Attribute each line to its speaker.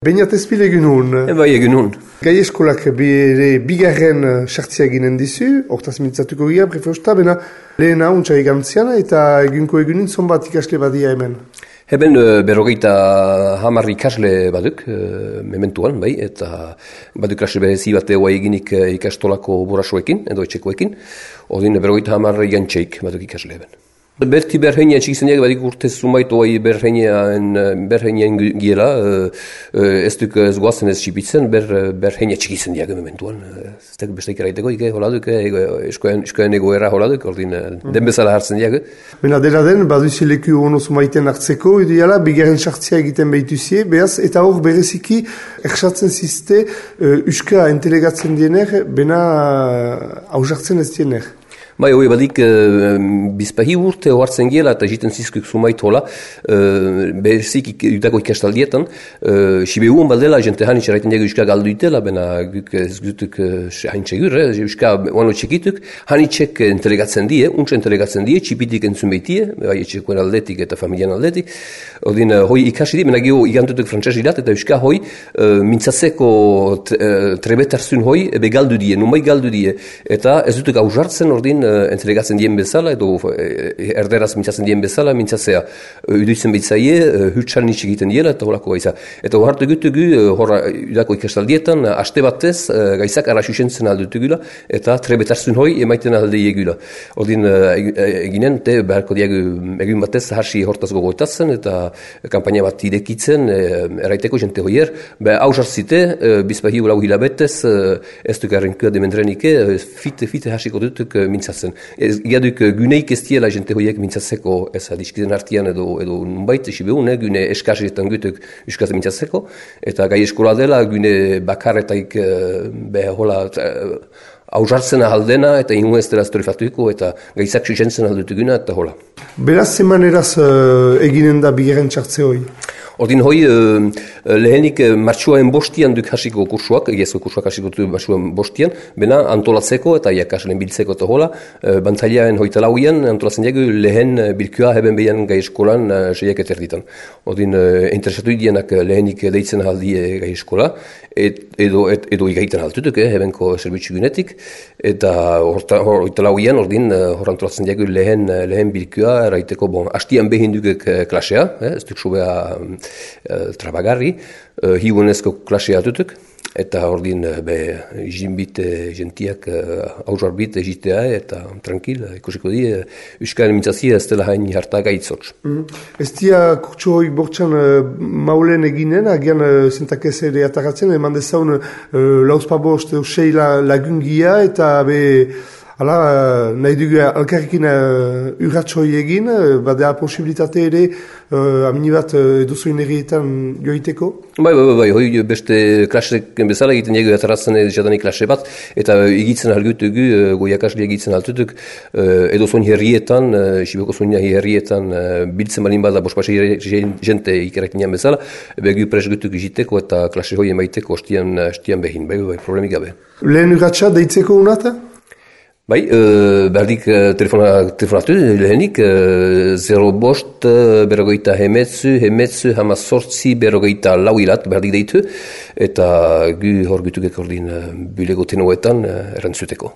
Speaker 1: Beñat ezpil egun hon.
Speaker 2: Bai, egun hon.
Speaker 1: Gai eskolak bigarren sartzea ginen dizu, hortaz mintzatuko gira, prefeusta, bena lehena untxai gantziana eta egunko egunin zonbat ikasle badia hemen.
Speaker 2: Heben berrogeita hamar ikasle baduk, mementuan, bai, eta baduk ikasle behezi bat egoa eginik ikastolako burasoekin, edo etxekoekin, odin berrogeita hamar igantxeik baduk ikasle heben. Berti berheinia txikizeneak badik urtez zumait oai berheinian giela, ez duk ez goazen ez txipitzen, berheinia txikizeneak mementuan. Ez beste ikeraiteko, hola duk, eskoen egoera hola duk, ordin den bezala hartzen diak.
Speaker 1: Bena dela den, baduzi leku ono zumaiten hartzeko, ideala, bigarren sartzea egiten behituzie, behaz, eta hor bereziki, erxatzen ziste, uska entelegatzen diener, bena hausartzen ez diener.
Speaker 2: Bai, hoi badik bizpahi urte hoartzen giela eta jiten zizkuk sumait hola, bezik utako ikastaldietan, sibehuan baldela, jente hain txeraiten diago uska galdu itela, bena guk ez gutuk hain txegur, uska oano txekituk, hain txek entelegatzen die, untsa entelegatzen die, txipitik entzun behitie, bai etxekoen aldetik eta familian aldetik, odin hoi ikasi di, bena geho igantutuk frantxas irat, eta uska hoi mintzatzeko trebetarzun hoi ebe galdu die, numai galdu die, eta ez dutuk hausartzen ordin entregatzen dien bezala, edo erderaz mintzatzen dien bezala, mintzatzea uduitzen behitzaie, hutsan nitsi egiten diela, eta horako gaiza. Eta horretu gutugu, horra udako ikastaldietan, aste batez, gaizak arasusentzen aldutugula, eta trebetarzun hoi emaiten alde egula. Ordin eginen, beharko diagu egun batez, hasi hortaz gogoetatzen, eta kampaina bat idekitzen, eraiteko jente hoier, hausartzite, bizpahi ulau hilabetez, ez duk errenkua dementrenike, fite hasiko dutuk mintzatzen. Iaduk guneik ez diela jente hoiek mintzatzeko ez adiskiden artian edo nunbait esibeun, gune eskarretan gutuk uskaz mintzatzeko, eta gai eskola dela gune bakarretaik hola hausartzen ahaldena eta inu ez dela estorifatuiko eta gaizak susentzen aldutuguna eta hola.
Speaker 1: Beraz zemaneraz eginen da bigarren txartze hoi?
Speaker 2: Ordin hoi, lehenik martxuaen bostian duk hasiko kursuak, egiazko kursuak hasiko du martxuaen bostian, bena antolatzeko eta iakaslen biltzeko eta hola, bantzailean hoita lauian antolatzen diagu lehen bilkua heben behian gai eskolan seiak eterditan. Ordin, interesatu idienak lehenik deitzen ahaldie gai eskola, edo igaiten altutuk, hebenko zerbitzu gunetik, eta hoita lauian ordin hor antolatzen diagu lehen bilkua, eraiteko, hastian behin dukek klasea, ez duk subea trabagarri, hiunezko klasea atutuk, eta ordin jinbit jentiak hausarbit egitea eta tranquil, ikusiko di, euskaren mintzazia ez dela hain harta gaitzotz.
Speaker 1: Ez dia kurtsu hori bortxan maulen eginen, agian zentak ez ere ataratzen, eman dezaun lauzpabost usei lagungia eta hala, nahi dugu alkarrekin urratxoi egin, badea posibilitate ere amini bat eduzoin errietan joiteko?
Speaker 2: Bai, hoi beste klasek bezala egiten diegu ataratzen jadanik klase bat, eta egitzen algutugu, goiakasle egitzen altutuk, edozoin herrietan, Siboko zoina herrietan biltzen balin bada bospase jente ikerrekinean bezala, begu presgutuk egiteko eta klase hoi emaiteko ostian behin, bai, problemik gabe.
Speaker 1: Lehen urratxa deitzeko unata?
Speaker 2: Bai, berdik telefonatu lehenik, 05 berrogeita hemetzu, hamazortzi berrogeita lauilat berdik deitu, eta gu hor gutukek ordin bulego tenoetan erantzuteko.